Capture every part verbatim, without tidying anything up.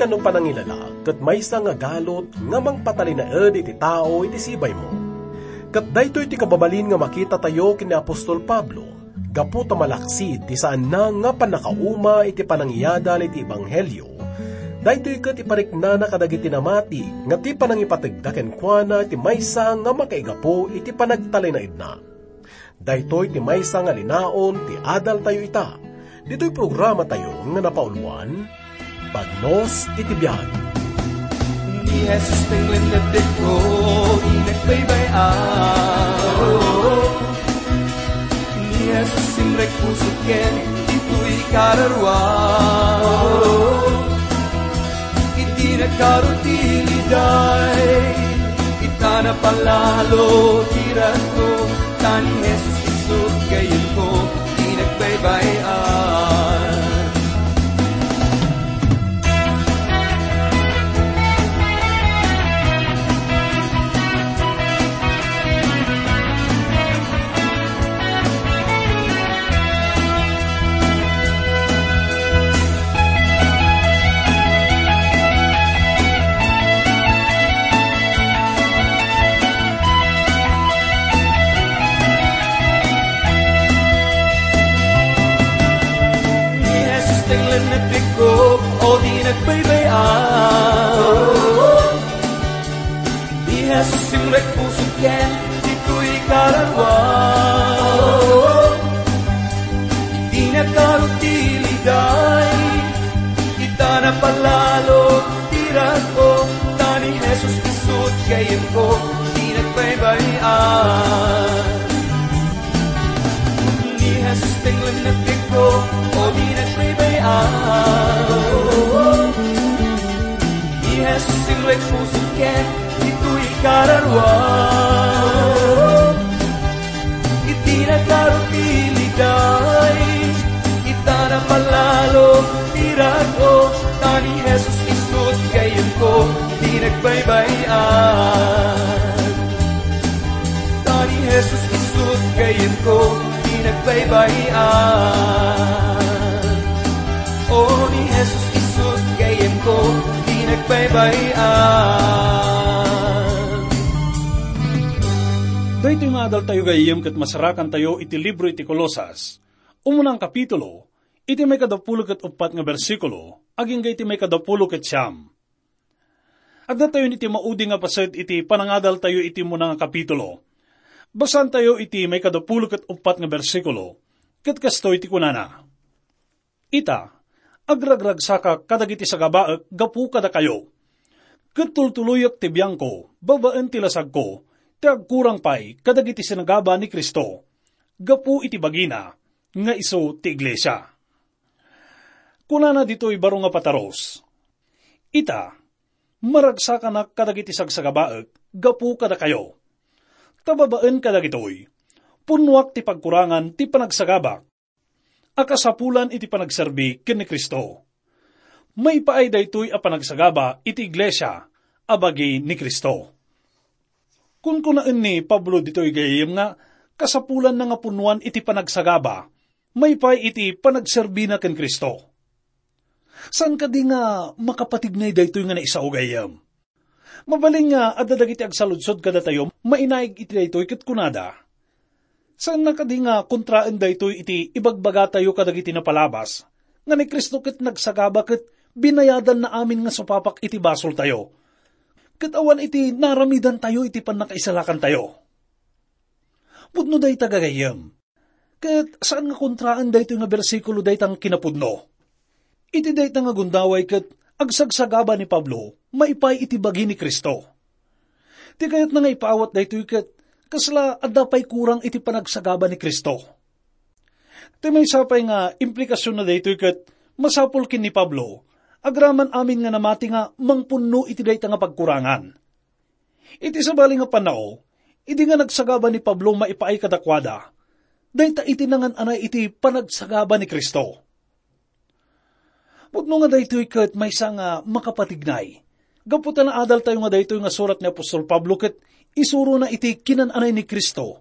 no panangilalag ket maysa nga galut nga mangpatalinaed iti tao iti sibaymo. Ket daytoy ti kababalin nga makitatayo ken ni apostol Pablo, gapu ta malaksid ti saanna nga pannakauma iti panangiadal iti ebanghelio. Daytoy ket ipariknana kadagiti namati nga ti panangipategda kenkuana ti maysa nga makaigapu iti panagtalinaedna. Daytoy ti maysa nga linaon ti adaltayo ita. Ditoy programatayo nga napauluan, Bagnos iti Biag. Ni Jesus ti lennetko, di nagbaybay-an. Ni Jesus simrek pusok ken ditoy kararua. Iti nagkarutiliday, ita napalalo ti ragko, ta ni Jesus isut gayyemko, di nagbaybay-an. Ni Jesus ti lennetko, o di nagbaybay-an. Ni Jesus simrek pusok ken ditoy kararua. Iti nagkarutiliday, ita napalalo ti ragko, ta ni Jesus isut gayyemko, di nagbaybay-an. Ni Jesus ti lennetko, o di nagbaybay-an. Ni Jesus simrek pusok ken ditoy kararua. Iti nagkarutiliday, ita napalalo ti ragko, ta ni Jesus isut gayyemko, di nagbaybay-an. Ta ni Jesus isut gayyemko, di nagbaybay-an. O ni Jesus isut gayyemko, di nagbaybay-an. Daytoy nga adaltayo gayyem ket masarakantayo iti libro iti Colosas. Umunang kapitulo, iti maikadapulo ket uppat nga bersikulo, agingga iti maikadapulo ket siam. Addatayon iti maudi nga paset iti panangadaltayo iti umuna nga kapitulo. Basaantayo iti maikadapulo ket uppat nga bersikulo, ket kastoy ti kunana, "Ita, agragragsakak kadagiti sagabaek gapu kadakayo, ket tultuloyek ti biangko babaen ti lasagko ti agkurang pay kadagiti sinagaba ni Cristo gapu iti bagina nga isu ti iglesia." Kunana ditoy baro nga pataros, "Ita, maragsakanak kadagiti sagsagabaek gapu kadakayo, ta babaen kadagitoy, punnoak ti pagkurangan ti panagsagabak a kasapulan iti panagserbi ken ni Cristo. Maipaay daytoy a panagsagaba iti iglesia a bagi ni Cristo." Kunkunaen ni Pablo ditoy gayyem nga kasapulanna nga punnoan iti panagsagaba maipaay iti panagserbina ken Cristo. Saan kadi nga makapatignay daytoy nga naisao gayyem? Mabalin nga adda dagiti agsaludsod kadatayo mainaig iti daytoy ket kunada, "Saanna kadi nga kontraen daytoy iti ibagbagatayo kadagiti napalabas nga ni Cristo ket nagsagaba ket binayadanna amin nga supapak iti basoltayo, ket awan iti naramidantayo iti pannakaisalakantayo?" Pudno dayta, gagayyem. Ket saan nga kontraen daytoy nga bersikulo dayta nga kinapudno. Iti dayta nga gundaway ket agsagsagaba ni Pablo maipaay iti bagi ni Cristo. Ti kayatna nga ipaawat daytoy ket kasla adda pay kurang iti panagsagaba ni Cristo. Ti maysa pay nga implikasionna daytoy ket masapul ken ni Pablo, agraman amin nga namati nga mangpunno iti dayta nga pagkurangan. Iti sabali nga pannao, idi nga nagsagaba ni Pablo maipaay kadakuada, dayta iti nangan-anay iti panagsagaba ni Cristo. Pudno nga daytoy ket maysa nga makapatignay, gapu ta naadaltayo nga daytoy nga surat ni apostol Pablo ket isurona iti kinan-anay ni Cristo.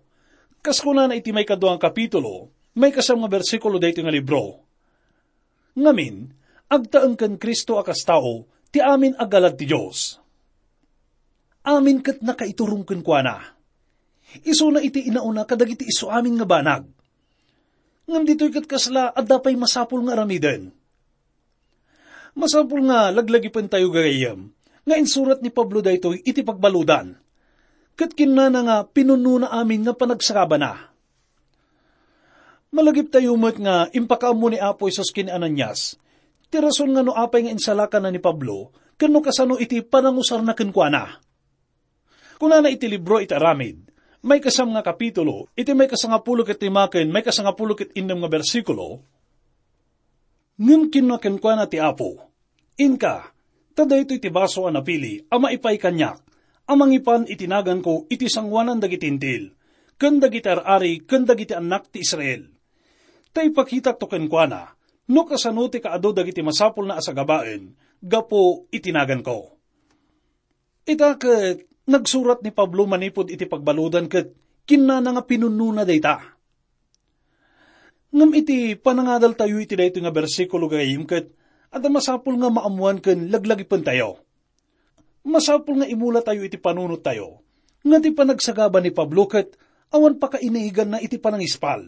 Kas kunana iti maikadua nga kapitulo, maikasiam nga bersikulo daytoy nga libro, "Ngamin, agtaeng ken Cristo a kas tao, ti amin a galad ti Dios. Amin ket nakaiturong kenkuana. Isuna iti inauna kadagiti isuamin nga banag. Ngem ditoy ket kasla adda pay masapul nga aramiden. Masapul nga laglagipentayo, gagayyem, nga insurat ni Pablo daytoy iti pagbaludan. Ket kinnana nga pinunnona amin nga panagsagabana. Malagiptayo met nga impakaammo ni Apo Jesus ken ni Ananias ti rason nga no apay nga insalakanna ni Pablo ken no kasano iti panangusarna kenkuana. Kunana iti libro iti Aramid, maikasam nga kapitulo, iti maikasangapulo ket lima ken maikasangapulo ket innem nga bersikulo, "Ngem kinuna kenkuana ti Apo, 'Inka, ta daytoy ti baso a napili a maipay kaniak, a mangipan iti naganko iti sangoanan dagiti Hentil, ken dagiti ar-ari, ken dagiti annak ti Israel. Ta ipakitakto kenkuana no kasano ti kaadu dagiti masapulna a sagabaen gapu iti naganko.'" Ita ket nagsurat ni Pablo manipud iti pagbaludan ket kinnana nga pinunnona dayta. Ngem iti panangadaltayo iti daytoy nga bersikulo, gagayyem, ket adda masapul nga maammoan ken laglagipentayo. Masapul nga imulatayo iti panunottayo nga ti panagsagaba ni Pablo ket awan pakainaganna iti panangispal.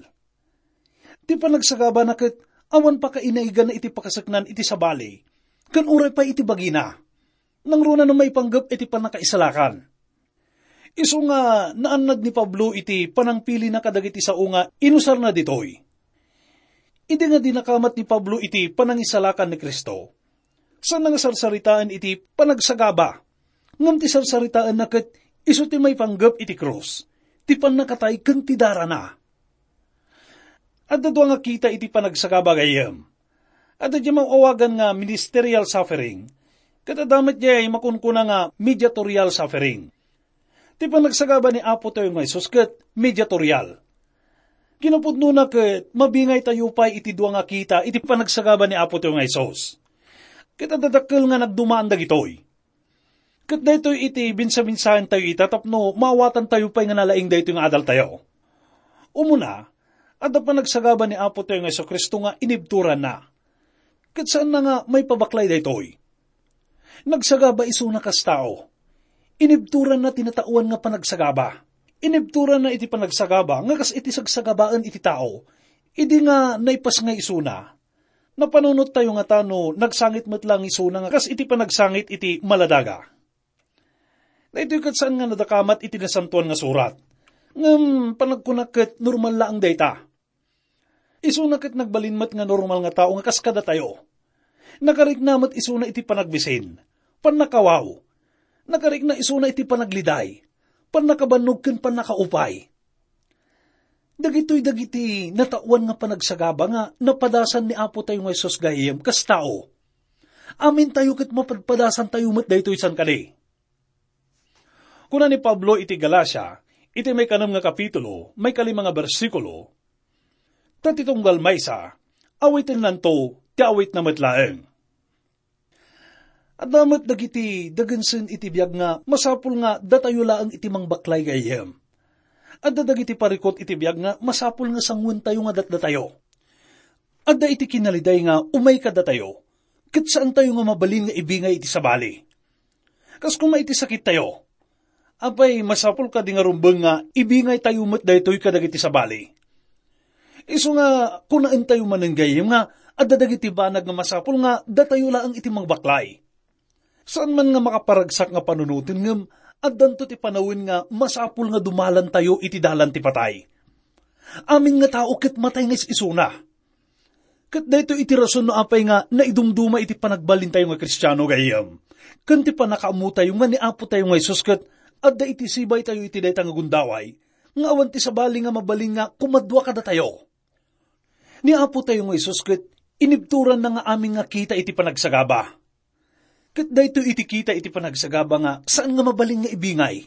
Ti panagsagabana ket awan pakainaganna iti pakaseknan iti sabali, ken uray pay iti bagina. Nangruna no maipanggep iti pannakaisalakan. Isu nga naannad ni Pablo iti panangpilina kadagiti sao nga inusarna ditoy. Idi nga dinakamat ni Pablo iti panangisalakan ni Cristo, saanna nga sarsaritaen iti panagsagaba, ngem ti sarsaritaenna ket isu ti maipanggep iti krus, ti pannakatay ken ti darana. Adda dua nga kita iti panagsagaba, gayyem. Adda diay maawagan nga ministerial suffering, ket adda met diay makunkuna nga mediatorial suffering. Ti panagsagaba ni Apo tayo nga Jesus ket mediatorial. Kinapudnona ket mabingay tayo pay iti dua nga kita iti panagsagaba ni Apo tayo nga Jesus. Ket adda dakkel nga nagdumaan dagitoy. Ket daytoy iti binsabinsaan tayo ita tapno maawatan tayo pay nga nalaing daytoy nga adal tayo. Umuna, adda panagsagaba ni Apo tayo nga Jesu-Cristo nga inibturanna. Ket saanna nga maipabaklay daytoy. Nagsagaba isuna kas tao. Inibturanna ti natawan nga panagsagaba. Inibturanna iti panagsagaba nga kas iti sagsagabaen iti tao, idi nga naipasngay isuna. Napanunot tayo nga tano nagsangit met lang isuna nga kas iti panagsangit iti maladaga. Daytoy ket saan nga nadakamat iti Nasantoan nga Surat. Ngem panagkunak ket normal laeng dayta. Isuna ket nagbalin met nga normal nga tao nga kas kadatayo. Nakarikna met isuna iti panagbisin, pannakawaw. Nakarikna isuna iti panagliday, pannakabannog ken pannakaupay. Dagitoy dagiti natawan nga panagsagaba nga napadasan ni Apo tayo nga Jesus gayyem kas tao. Amintayo ket mapadpadasantayo met daytoy, saan kadi? Kuna ni Pablo iti Galacia, iti maikanem nga kapitulo, maikalima nga bersikulo, "Ta ti tunggal maysa, awitennanto ti awitna met laeng." Adda met dagiti dagensen iti biag nga masapul nga datayo laeng iti mangbaklay gayyem. Adda dagiti parikut iti biag nga masapul nga sanguentayo nga datdatayo. Adda iti kinaliday nga umay kadatayo, ket saantayo nga mabalin nga ibingay iti sabali. Kas koma iti sakittayo, apay, masapul kadi nga rumbeng nga ibingaytayo met daytoy kadagiti sabali? Isu nga kunaentayo manen gayyem nga adda dagiti banag nga masapul nga datayo laeng iti mangbaklay. Saan man nga makaparagsak nga panunoten ngem addanto ti panawen nga masapul nga dumalantayo iti dalan ti patay. Amin nga tao ket matay nga is-isuna. Ket daytoy iti rason no apay nga naidumduma iti panagbalintayo nga Kristiano gayyem, ken ti pannakaammotayo nga ni Apo tayo nga Jesus ket adda iti sibaytayo iti dayta nga gundaway, nga awan ti sabali nga mabalin nga kumadua kadatayo. Ni Apo tayo nga Jesus ket inibturanna nga amin nga kita iti panagsagaba. Ket daytoy iti kita iti panagsagaba nga saan nga mabalin nga ibingay.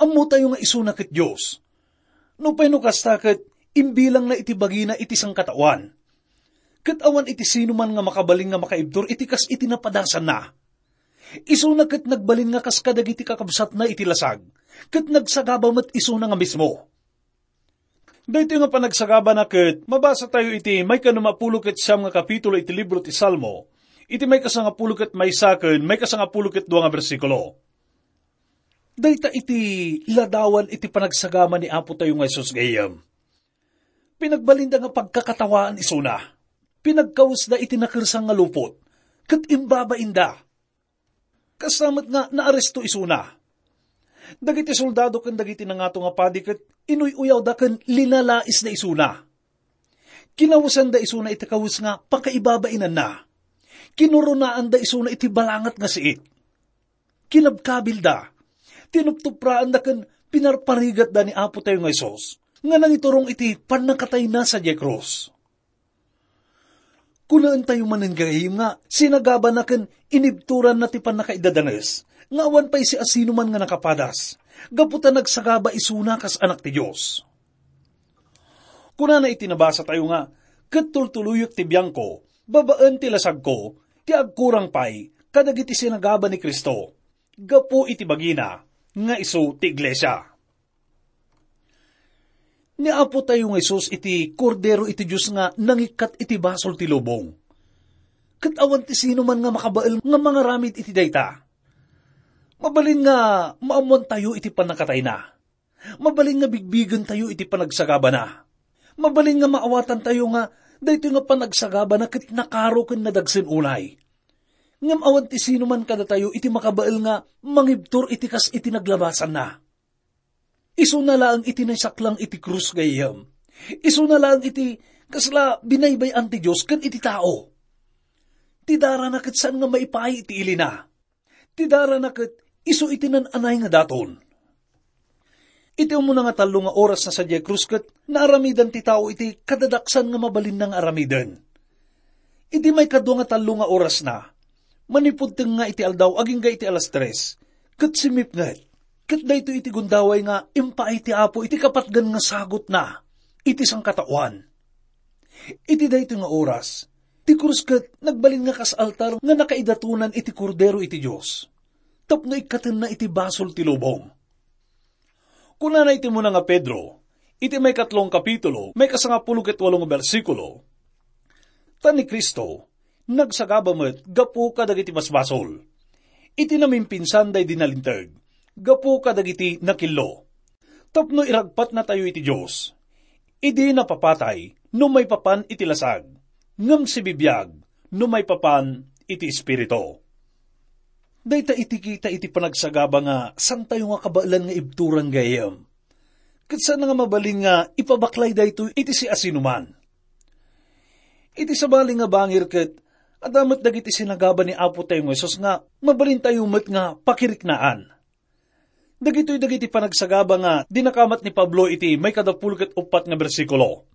Ammotayo nga isuna ket Dios. Nupay no kasta ket imbilangna iti bagina iti sangkataoan. Ket awan iti sino man nga makabalin nga makaibtur iti kas iti napadasanna. Isuna ket nagbalin nga kas kadagiti kakabsatna iti lasag, ket nagsagaba met isuna nga mismo. Daytoy nga panagsagabana ket mabasa tayo iti maikanumapulo ket siam nga kapitulo iti libro ti Salmo, iti maikasangapulo ket maysa ken maikasangapulo ket dua nga bersikulo. Dayta iti ladawan iti panagsagaba ni Apotayo nga Jesus gayyem. Pinagbalinda nga pagkakatawaan isuna. Pinagkawesda iti nakersang nga lupot, ket imbabainda. Kasta met nga naaresto isuna. Dagiti soldado ken dagiti nangato nga padi ket inuy-uyawda ken linalaisda isuna. Kinawesanda isuna iti kawes nga pakaibabainanna. Kinurunaanda isuna iti balangat nga siit. Kinabkabilda. Tinuptupraanda ken pinarparigatda ni Apotayo nga Jesus nga nangiturong iti pannakatayna sadiay krus. Kunaentayo manen gayyem nga sinagabana ken inibturanna ti pannakaidadanes nga awan pay siasinoman nga nakapadas, gapu ta nagsagaba isuna kas Anak ti Dios. Kunana iti nabasatayo nga, "Ket tultuloyek ti biangko babaen ti lasagko ti agkurang pay kadagiti sinagaba ni Cristo gapu iti bagina nga isu ti iglesia." Ni Apotayo nga Jesus iti Kordero iti Dios nga nangikkat iti basol ti lubong. Ket awan ti sino man nga makabael nga mangaramid iti dayta. Mabalin nga maammoantayo iti pannakatayna. Mabalin nga bigbigentayo iti panagsagabana. Mabalin nga maawatantayo nga daytoy nga panagsagabana ket nakaro ken nadagsen unay. Ngem awan ti sino man kadatayo iti makabael nga mangibtur iti kas iti naglabasanna. Isuna laeng iti naisaklang iti krus gayyem. Isuna laeng iti kasla binaybay-an ti Dios ken iti tao. Ti darana ket saan nga maipaay iti ilina. Ti darana ket isu iti nan-anay nga daton. Iti umuna nga tallo nga oras na sadiay krus ket naaramidan ti tao iti kadadaksan nga mabalinna nga aramiden. Iti maikadua nga tallo nga oras na, manipud tengnga iti aldaw agingga iti alas tres, ket simmipnget. Ket daytoy iti gundaway nga impaay ti Apo iti kapatgan nga sagutna iti sangkataoan. Iti daytoy nga oras, ti krus ket nagbalin nga kas altar nga nakaidatonan iti Kordero iti Dios, tapno ikkatenna iti basol ti lubong. Kunana iti umuna nga Pedro, iti maikatlo nga kapitulo, maikasangapulo ket walo nga bersikulo, "Ta ni Cristo, nagsagaba met gapu kadagiti basbasol, iti namimpinsan daydi nalinteg, gapu kadagiti nakillo, tapno iragpatnatayo iti Dios. Idi napapatay no maipapan iti lasag, ngem sibibiag no maipapan iti Espiritu." Dayta iti kita iti panagsagaba nga santayo nga kabaelan nga ibturan gayyem. Ket saan nga mabalin nga ipabaklay daytoy iti siasinoman. Iti sabali nga bangir ket adda met dagiti sinagaba ni Apo tayo nga Jesus nga mabalintayo met nga pakiriknaan. Dagitoy dagiti panagsagaba nga dinakamat ni Pablo iti maikadapulo ket uppat nga bersikulo.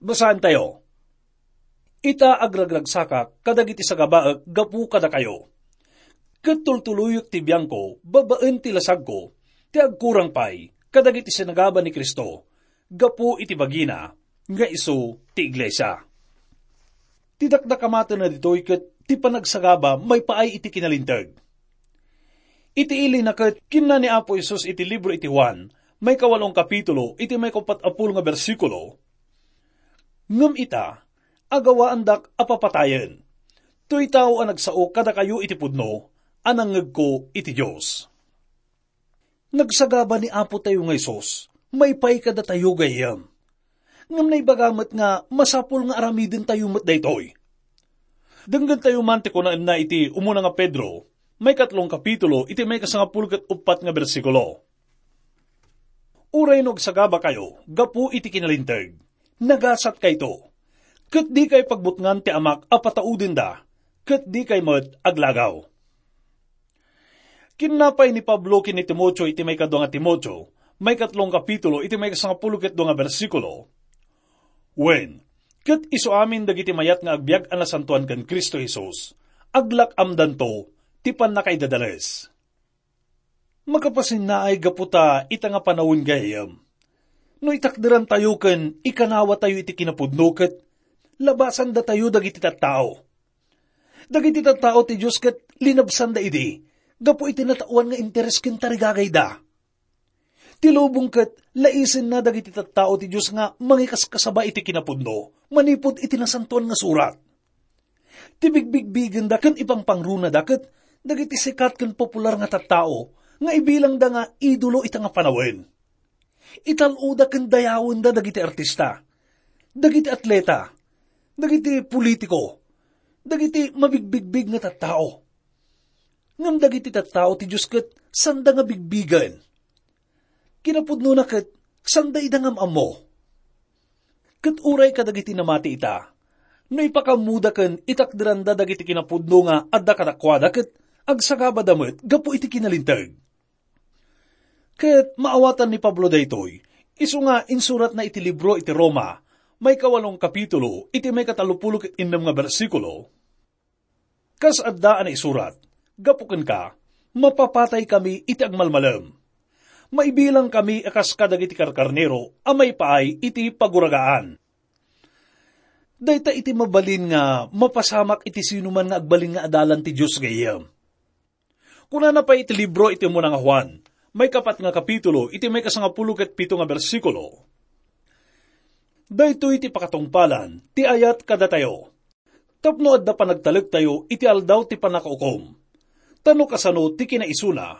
Basaentayo, "Ita, agragragsakak kadagiti sagabaek gapu kadakayo. Ket tultuloyek ti biangko babaen ti lasagko ti agkurang pay kadagiti sinagaba ni Cristo gapu iti bagina nga isu ti iglesia." Ti dakdakamatenna ditoy ket ti panagsagaba maipaay iti kinalinteg. Iti ilina ket kinuna ni Apo Jesus iti libro iti Juan, maikawalong kapitulo, iti maikaupat a pulo nga bersikulo, "Ngem ita, agawaandak a papatayen. Toy tao a nagsao kadakayo iti pudno a nangngegko iti Dios." Nagsagaba ni Apo tayo nga Jesus, maipay kadatayo gayyem. Ngem naibaga met nga masapul nga aramidentayo met daytoy. Denggentayo man ti kunaenna iti umuna nga Pedro, maikatlong kapitulo, iti maikasangapulo ket uppat nga bersikulo, "Uray no agsagabakayo gapu iti kinalinteg, nagasatkayto, ket dikay pagbutngan ti Amak a pataudenda, ket dikay met aglagaw." Kinnapay ni Pablo ken ni Timoteo iti maikadua nga Timoteo, maikatlong kapitulo, iti maikasangapulo ket dua nga bersikulo, "Wen, ket isu amin dagiti mayat nga agbiag a nasantoan ken Cristo Jesus, aglak-amdanto ti pannakaidadales." Makapasinnaay gapu ta ita nga panawen gayyem. No itakderantayo ken ikanawatayo iti kinapudno ket labasandatayo dagiti tattao. Dagiti tattao ti Dios ket linabsanda idi gapu iti nataoan nga interes ken tarigagayda. Ti lubong ket laisenna dagiti tattao ti Dios nga mangikaskasaba iti kinapudno manipud iti Nasantoan nga Surat. Ti bigbigbigenda ken ipangpangrunada ket dagiti sikat ken popular nga tattao nga ibilangda nga idolo ita nga panawen. Ital-oda ken dayawenda dagiti artista, dagiti atleta, dagiti politiko, dagiti mabigbigbig nga tattao. Ngem dagiti tattao ti Dios ket sanda nga bigbigen. Kinapudnona ket sanda ida nga am-ammo. Ket uray kadagiti namati ita, no ipakammoda ken itakderanda dagiti kinapudno nga adda kadakuada ket agsagabada met gapu iti kinalinteg. Ket maawatan ni Pablo daytoy, isu nga insuratna iti libro iti Roma, maikawalong kapitulo, iti maikatalupulo ket innem nga bersikulo. Kas adda a naisurat, gapu kenka, mapapatay kami iti agmalmalem. Maibilang kami a kas kadagiti karkarnero a maipaay iti paguragaan. Dayta iti mabalin nga mapasamak iti sinuman nga agbalin nga adalan ti Dios gayyem. Kunana pay iti libro iti umuna nga Juan, maikapat nga kapitulo, iti maikasangapulo ket pito nga bersikulo, "Daytoy ti pakatungpalan ti ayat kadatayo, tapno adda panagtalektayo iti aldaw ti pannakaukom. Ta no kasano ti kinaisuna,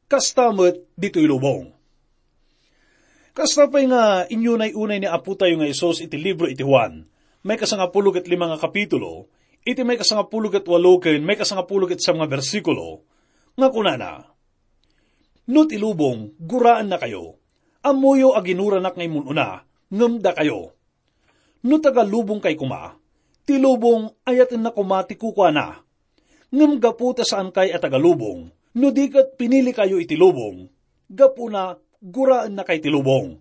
kasta met ditoy lubong." Kasta pay nga inyunay-unay ni Apotayo nga Jesus iti libro iti Juan, maikasangapulo ket lima nga kapitulo, iti maikasangapulo ket walo ken maikasangapulo ket siam nga bersikulo, nga kunana, "No ti lubong, guraennakayo, ammoyo a ginuranak nga immun-una, ngem dakayo. No taga-lubongkay koma, ti lubong ayatenna koma ti kukuana. Ngem gapu ta saankay a taga-lubong, no di ket pinilikayo iti lubong, gapuna guraennakay ti lubong."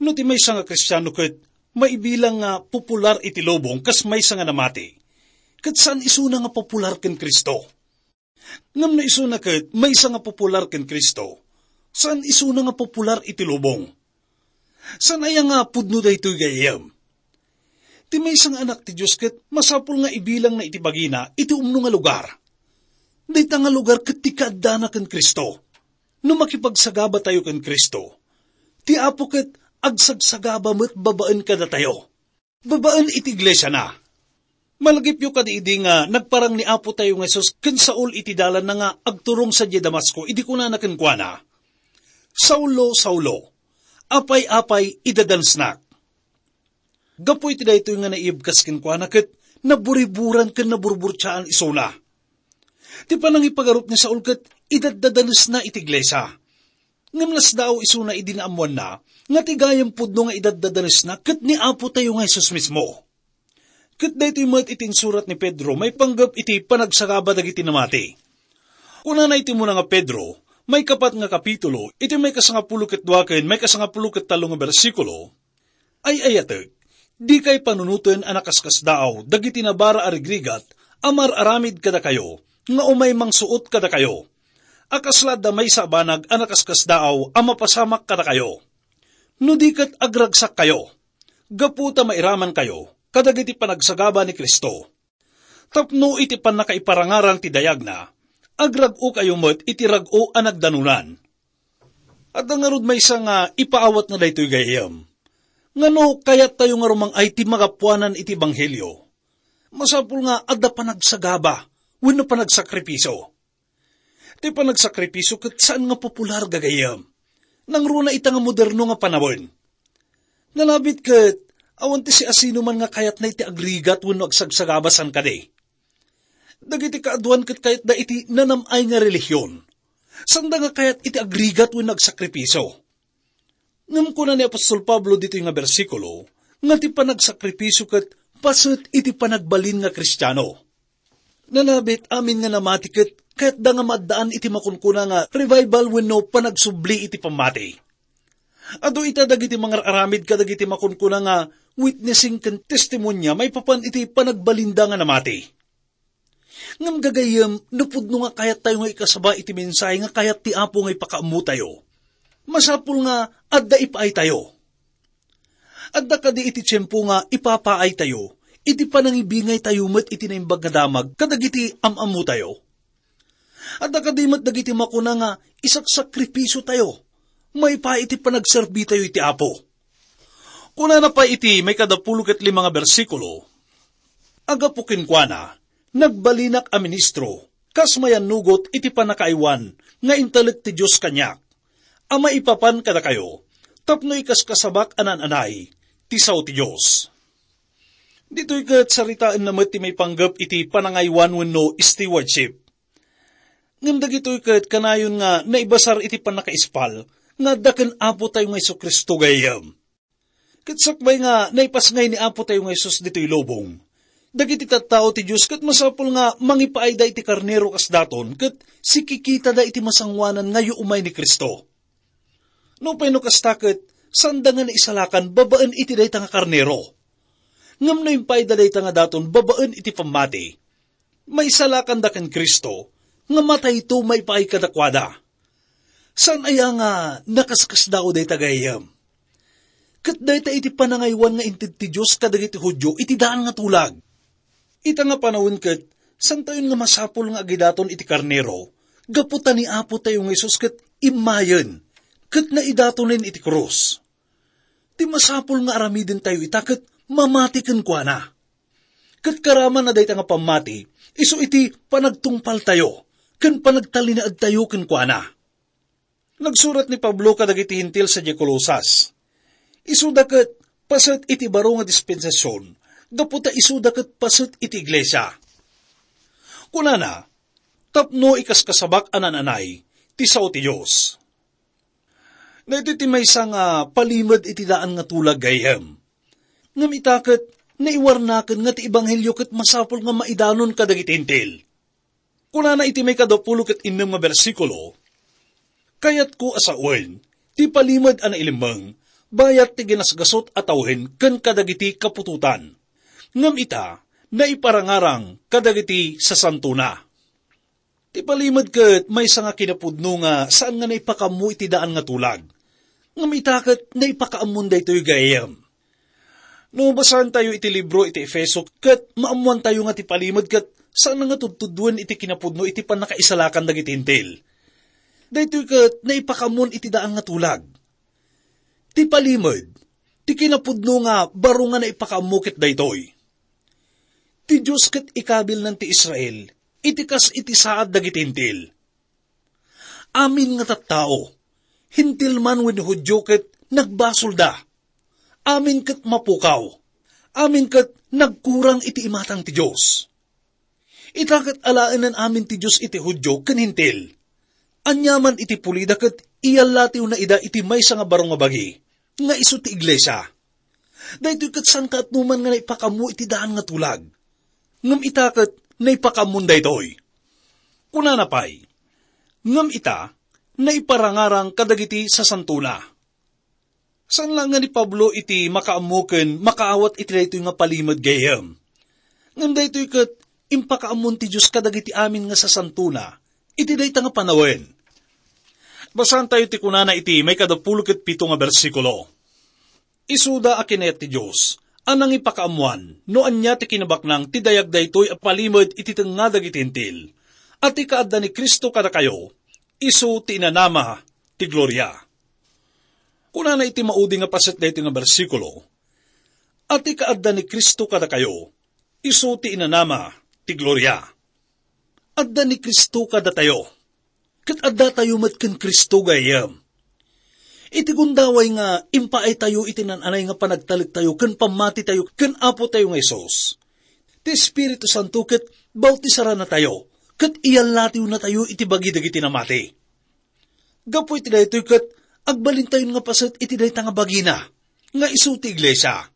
No ti maysa nga Kristiano ket maibilang nga popular iti lubong kas maysa nga namati, ket saan isuna nga popular ken Cristo. Ngem no isuna ket maysa nga popular ken Cristo, saan isuna nga popular iti lubong. Saan aya nga pudno daytoy gayyem? Ti maysa nga anak ti Dios ket masapul nga ibilangna iti bagina iti umno nga lugar. Dayta nga lugar ket ti kaaddana ken Cristo. No makipagsagabatayo ken Cristo, ti Apo ket agsagsagaba met babaen kadatayo. Babaen iti iglesiana. Malagipyo kadi idi nga nagparang ni Apotayo nga Jesus ken Saul iti dalanna nga agturong sadiay Damasco idi kunana kenkuana, "Saulo, Saulo, apay-apay idadanesnak?" Gapu iti daytoy nga naibkas kenkuana ket naburiburan ken naburburtiaan isuna. Ti panangipagarup ni Saul ket idaddadanesna iti iglesia. Ngem nasdaaw isuna idi naammoanna nga ti gayam pudno nga idaddadanesna ket ni Apotayo nga Jesus mismo. Ket daytoy met iti insurat ni Pedro maipanggep iti panagsagaba dagiti namati. Kunana iti umuna nga Pedro, maikapat nga kapitulo, iti maikasangapulo ket dua ken maikasangapulo ket tallo nga bersikulo, "Ay-ayatek, dikay panunoten a nakaskasdaaw dagiti nabara a rigrigat a mar-aramid kadakayo nga umay mangsuot kadakayo, a kasla adda maysa a banag a nakaskasdaaw a mapasamak kadakayo. No di ket agragsakkayo, gapu ta mairamankayo kadagiti panagsagaba ni Cristo. Tapno iti pannakaiparangarang ti dayagna, agrag-okayo met iti rag-o a nagdanonan." Adda ngarud maysa nga ipaawatna daytoy gayyem. Ngano kayattayo nga rumang-ay ti magapuanan iti ebanghelio? Masapul nga adda panagsagaba wenno panagsakripisio. Ti panagsakripisio ket saan nga popular, gagayyem. Nangruna ita nga moderno nga panawen. Nalabit ket awan ti siasinoman nga kayatna iti agrigat wenno agsagsagaba, saan kadi? Dagiti kaaduan ket kayatda iti nanam-ay nga relihion. Sanda nga kayat iti agrigat wenno agsakripisio. Ngem kuna ni apostol Pablo ditoy nga bersikulo nga ti panagsakripisio ket paset iti panagbalin nga Kristiano. Nalabit amin nga namati ket kayatda nga maaddaan iti makunkuna nga revival wenno panagsubli iti pammati. Adu ita dagiti mangar-aramid kadagiti makunkuna nga witnessing ken testimonia maipapan iti panagbalinda nga namati. Ngem gagayyem, no pudno nga kayattayo nga ikasaba iti mensahe nga kayat ti Apo nga ipakaammotayo, masapul nga adda ipaaytayo. Adda kadi iti tiempo nga ipapaaytayo iti panangibingaytayo met iti Naimbag nga Damag kadagiti am-ammotayo? Adda kadi met dagiti makuna nga isaksakripisiotayo maipaay iti panagserbitayo iti Apo? Kunana pay iti maikadapulo ket lima nga bersikulo, A gapu kenkuana, nagbalinak a ministro, kas mayannugot iti pannakaaywan nga intalek ti Dios kaniak, a maipapan kadakayo, tapno ikaskasabak a naan-anay ti sao ti Dios. Ditoy ket saritaenna met ti maipanggep iti panangaywan wenno stewardship. Ngem dagitoy ket kanayon nga naibasar iti pannakaispal nga adda ken Apotayo nga Jesu-Cristo gayyem. Ket sakbay nga naipasngay ni Apotayo nga Jesus ditoy lubong, dagiti tattao ti Dios ket masapul nga mangipaayda iti karnero kas daton ket sikikitada iti masangoanan nga yuumay ni Cristo. Nupay no kasta ket, saanda nga naisalakan babaen iti dayta nga karnero. Ngem no impaayda dayta nga daton babaen iti pammati, maisalakanda ken Cristo, nga matayto maipaay kadakuada. Saan aya nga nakaskasdaaw dayta gayyem? Ket dayta iti panangaywan nga inted ti Dios kadagiti Judio iti daan nga tulag. Ita nga panawen ket, santayon nga masapul nga agidaton iti karnero, gapu ta ni Apotayo nga Jesus ket immayen, ket naidatonen iti krus. Ti masapul nga aramidentayo ita ket mamati kenkuana. Ket karaman a dayta nga pammati, isu iti panagtungpaltayo ken panagtalinaedtayo kenkuana. Nagsurat ni Pablo kadagiti Hentil sadiay Colosas. Isuda ket paset iti baro nga dispensasion, gapu ta isuda ket paset iti iglesia. Kunana, "Tapno ikaskasabak a naan-anay ti sao ti Dios." Daytoy ti maysa nga palimed iti daan nga tulag gayyem. Ngem ita ket naiwarnaken nga ti ebanghelio ket masapul nga maidanon kadagiti Hentil. Kunana iti maikadapulo ket innem nga bersikulo, "Kayatko a sawen ti palimed a nailemmeng bayat ti ginasgasut a tawen ken kadagiti kaputotan. Ngem ita, naiparangarang kadagiti sasantona." Ti palimed ket maysa nga kinapudno nga saan nga naipakaammo iti daan nga tulag. Ngem ita ket naipakaammon daytoy gayyem. No basaentayo iti libro iti Efeso, ket maammoantayo nga ti palimed ket saan nga tudtuduen iti kinapudno iti pannakaisalakan dagiti Hentil. Daytoy ket naipakaammon iti daan nga tulag. Ti palimed, ti kinapudno nga baro nga naipakaammo ket daytoy: ti Dios ket ikabilnan ti Israel iti kas iti saad dagiti Hentil. Amin nga tattao, Hentil man wenno Judio, ket nagbasolda. Amin ket mapukaw. Amin ket nagkurang iti imatang ti Dios. Ita ket alaenen amin ti Dios iti Judio ken Hentil. Aniaman iti pulida ket iyallatiwna ida iti maysa nga baro nga bagi, nga isu ti iglesia. Daytoy ket saan kaatnoman nga naipakaammo iti daan nga tulag. Ngem ita ket naipakaammon daytoy. Kunana pay, "Ngem ita, naiparangarang kadagiti sasantona." Saan la nga ni Pablo iti makaammo ken makaawat iti daytoy nga palimed gayyem. Ngem daytoy ket impakaammon ti Dios kadagiti amin nga sasantona iti dayta nga panawen. Basaentayo ti kunana iti maikadapulo ket pito nga bersikulo. Isuda a kinayat ti Dios a nangipakaammoan no ania ti kinabaknang ti dayag daytoy a palimed iti tengnga dagiti Hentil, a ti kaadda ni Cristo kadakayo, isu ti inanama ti gloria. Kunana iti maudi nga paset daytoy nga bersikulo, "A ti kaadda ni Cristo kadakayo, isu ti inanama ti gloria." Adda ni Cristo kadatayo, ket addatayo met ken Cristo gayyem. Iti gundaway nga impaaytayo iti naan-anay nga panagtalektayo ken pammatitayo ken Apotayo nga Jesus, ti Espiritu Santo ket bautisaranatayo ket iyallatiwnatayo iti bagi dagiti namati. Gapu iti daytoy ket agbalintayon nga paset iti dayta nga bagina, nga isu ti iglesia.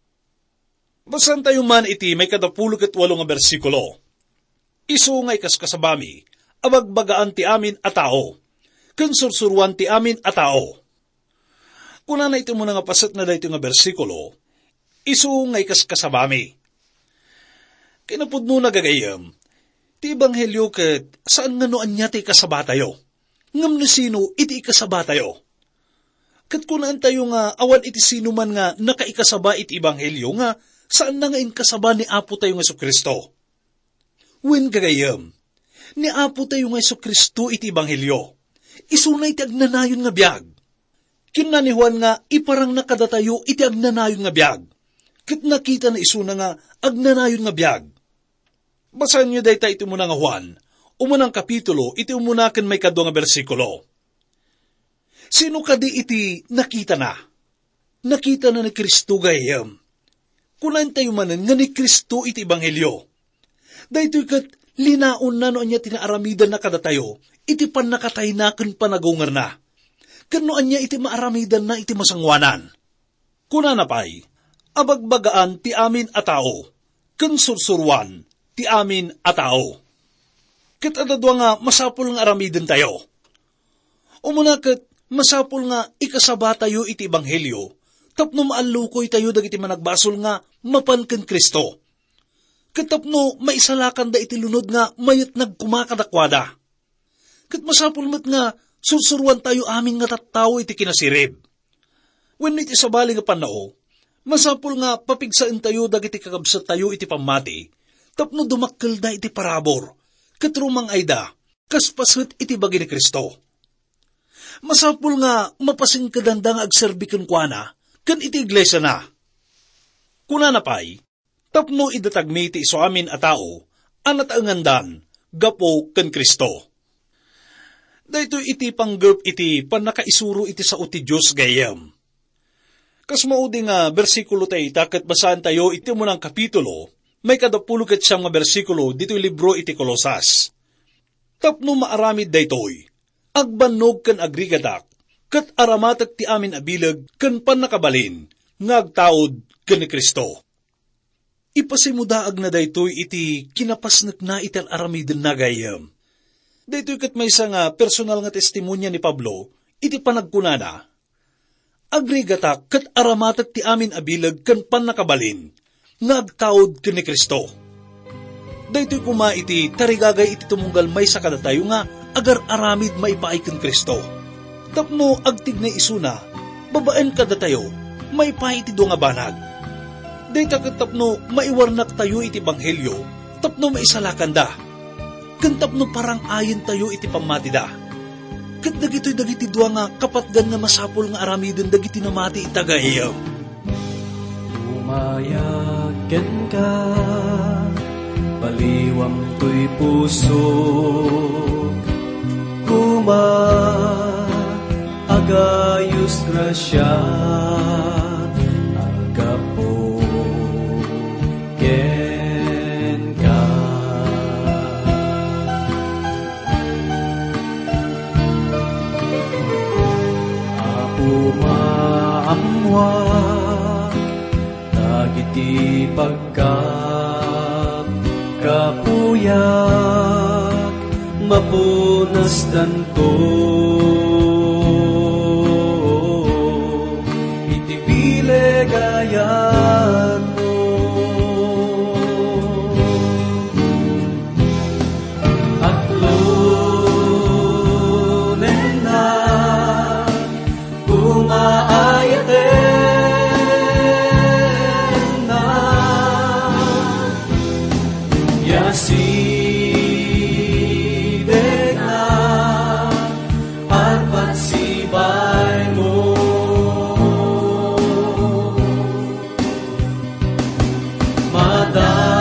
Basaentayo man iti maikadapulo ket walo nga bersikulo. "Isu nga ikaskasabami, abagbagaan ti amin a tao, ken sursuroan ti amin a tao." Kunana iti umuna nga paset na daytoy nga bersikulo, "Isu nga ikaskasabami." Kinapudnona, gagayyem, ti ebanghelio ket saan nga no ania ti ikasabatayo, ngem no sino iti ikasabatayo. Ket kunaentayo nga awan iti sino man nga nakaikasaba iti ebanghelio nga saanna nga inkasaba ni Apotayo nga Jesu-Cristo. Wen, gagayyem, ni Apotayo nga Jesu-Cristo iti ebanghelio. Isuna iti agnanayon nga biag. Kinuna ni Juan nga iparangna kadatayo iti agnanayon nga biag, ket nakitana isuna nga agnanayon nga biag. Basaenyo dayta iti umuna nga Juan, umunang kapitulo, iti umuna ken maikadua nga bersikulo. Sino kadi iti nakitana? Nakitana ni Cristo, gayyem. Kunaentayo manen nga ni Cristo iti ebanghelio. Daytoy ket linaonna no ania ti naaramidanna kadatayo iti pannakatayna ken panagungerna, ken no ania iti maaramidanna iti masangoanan. Kunana pay, "Abagbagaan ti amin a tao, ken sursuroan ti amin a tao." Ket adda dua nga masapul nga aramidentayo. Umuna ket, masapul nga ikasabatayo iti ebanghelio tapno maallukoytayo dagiti managbasol nga mapan ken Cristo, ket tapno maisalakanda iti lunod nga mayatnag koma kadakuada. Ket masapul met nga sursuroantayo amin nga tattao iti kinasirib. Wenno iti sabali nga pannao, masapul nga papigsaentayo dagiti kakabsattayo iti pammati tapno dumakkelda iti parabur ket rumang-ayda kas paset iti bagi ni Cristo. Masapul nga mapasingkedanda nga agserbi kenkuana ken iti iglesiana. Kunana pay, tapno idatagmi ti isuamin a tao a nataengandan gapu ken Cristo. Daytoy iti panggep iti pannakaisuro iti sao ti Dios, gayyem. Kas maudi nga bersikulo tayo ita ket basaentayo iti umunang kapitulo, maikadapulo ket siam nga bersikulo ditoy libro iti Colosas. Tapno maaramid daytoy, agbannog ken agrigatak, ket aramatek ti amin a bileg ken pannakabalin nga agtaud ken ni Cristo. Ipasimudaagna daytoy iti kinapasnekna iti ar-aramidenna, gayyem. Daytoy ket maysa nga personal nga testimonia ni Pablo iti panagkunana, "Agrigatak ket aramatek ti amin a bileg ken pannakabalin nga agtaud ken ni Cristo." Daytoy koma iti tarigagay iti tumunggal maysa kadatayo nga agar-aramid maipaay ken Cristo. Tapno agtignay isuna, babaen kadatayo, maipaay iti dua nga banag. Dayta ket tapno maiwarnaktayo iti ebanghelio, tapno maisalakanda, ken tapno parang-ayentayo iti pammatida. Ket dagitoy dagiti dua nga kapatgan nga masapul nga aramiden dagiti namati ita, gayyem. Umayag kenka, baliwam toy pusok, koma, agayos grasia, aggapu kenka. Apo, maammoak dagiti pagkapkapuyak, mapunastanto iti bileg a yatmo. Atlonennak, koma, ayatennak, ya sidegnak, arpat sibaymo. Madamdama,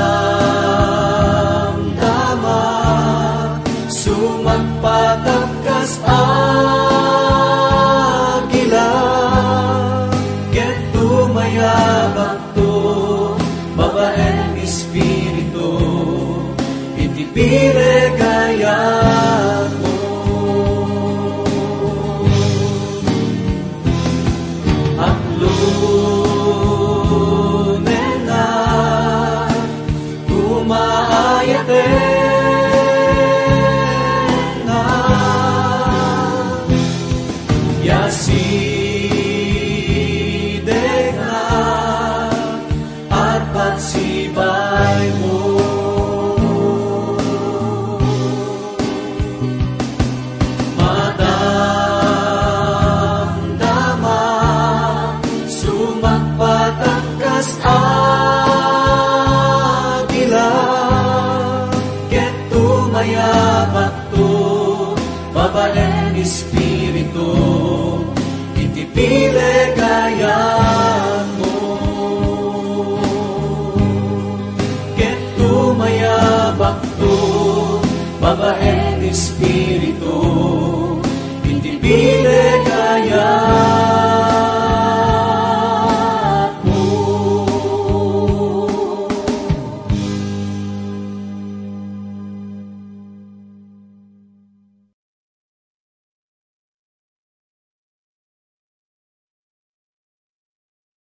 sumagpatak kas agila, ket tumayabakto babaen espiritu iti bileg a yatmo. Atlonennak, koma, ayatennak, ya sidegnak, arpat sibaymo. Madamdama, sumagpatak kas agila, ket tumayabakto babaen espiritu iti bileg a yatmo. Ket tumayabak Baet ti Espiritu, iti bileg aya